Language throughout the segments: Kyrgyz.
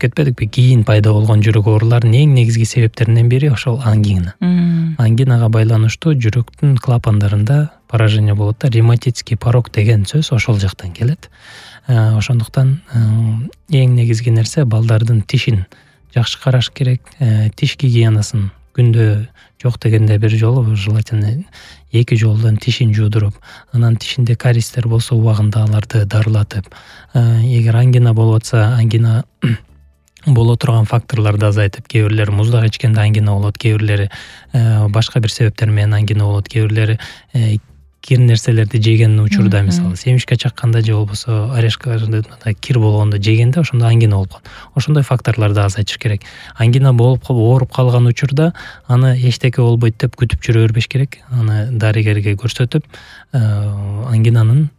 кетпедикпи, кийин пайда болгон жүрөк ооруларынын эң негизги себептеринен бири ошол ангина. Ангинага байланыштуу жүрөктүн клапандарында поражение болот да, ревматический порок деген сөз ошол жактан келет. Ошондуктан эң негизги нерсе балдардын тишин жакшы караш керек, тиш гигиенасын күндө жок дегенде бир жолу, желательно 2 жолдон тишин жуудуруп, анан тишинде кариестер болсо убагында аларды дарылатып, эгер ангина болуп атса, ангина боло турган факторлорду азайтып, кээ бирлери муздак ичкенде ангина болот, кээ бирлери башка бир себептер менен ангина болот, кээ бирлери кир нерселерди жеген учурда, мисалы семишке чакканда же болбосо орешкаларда кир болгондо жегенде ошондо ангина болуп калат. Ошондой факторлорду азайтыш керек. Ангина болуп ооруп калган учурда аны эчтеке болбойт деп күтүп жүрө бербеш керек. Аны дарыгерге көрсөтүп, ангинанын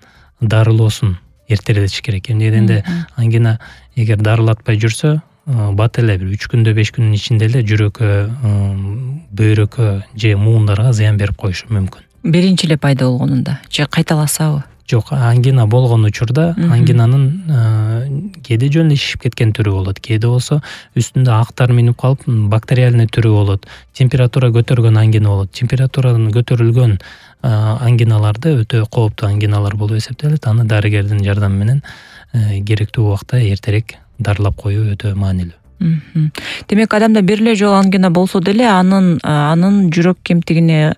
дарылоосун эртеретиш керек. Эмне дегенде ангина эгер дарылатпай жүрсө, бат эле бир 3 күндө 5 күндүн ичинде эле жүрөккө, бөйрөккө же муундарга зыян берип коюшу мүмкүн. Биринчи эле пайда болгонунда же кайталасабы? Жок, ангина болгон учурда ангинанын кээде жөн эле шишип кеткен түрү болот, кээде болсо үстүндө актар минип калып бактериальный түрү болот. Температура көтөргөн ангина болот. Температуранын көтөрүлгөн ангиналарды өтө кооптуу ангиналар болуп эсептелет. Аны дарыгердин жардамы менен керектүү убакта эртерээк дарылап коюу өтө маанилүү. Демек, адамда бир эле жолу ангина болсо деле анын жүрөк кемтигине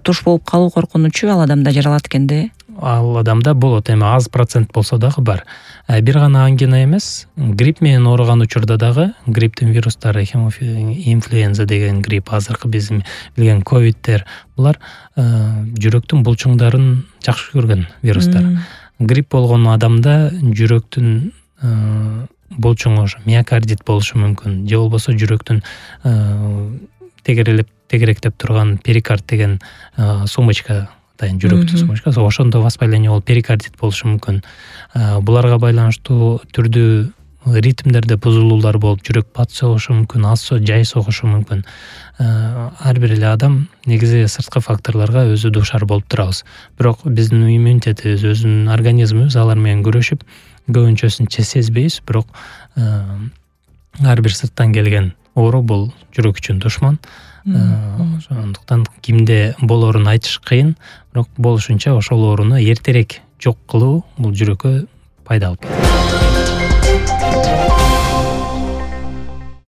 туш болуп калуу коркунучу ал адамда жаралат экен да? Ал адамда болот, эми аз процент болсо дагы бар. Бир гана ангина эмес, грипп менен ооруган учурда дагы, грипптин вирустары, инфлюенза деген грипп, азыркы биздин билген ковидтер, булар жүрөктүн булчуңдарын жакшы көргөн вирустар. Грипп болгон адамда жүрөктүн булчуңу, миокардит болушу мүмкүн, же болбосо жүрөктүн тегеректеп турган перикард деген сумочка, жүрөктүн сумочкасы, ошондо воспаление болуп перикардит болушу мүмкүн. Буларга байланыштуу түрдүү ритмдерде бузулуулар болуп, жүрөк пат согушу мүмкүн, аз жай согушу мүмкүн. Ар бир эле адам негизи сырткы факторлорго өзү дуушар болуп турабыз. Бирок биздин иммунитетибиз, өзүнүн организмибиз алар менен күрөшүп, көбүнчөсүн сезбейбиз, бирок ар бир сырттан келген оору бул жүрөк үчүн душман. Ошондуктан кимде болоорун айтыш кыйын, бирок болушунча ошол ооруну эртерээк жок кылуу бул жүрөккө пайдалуу.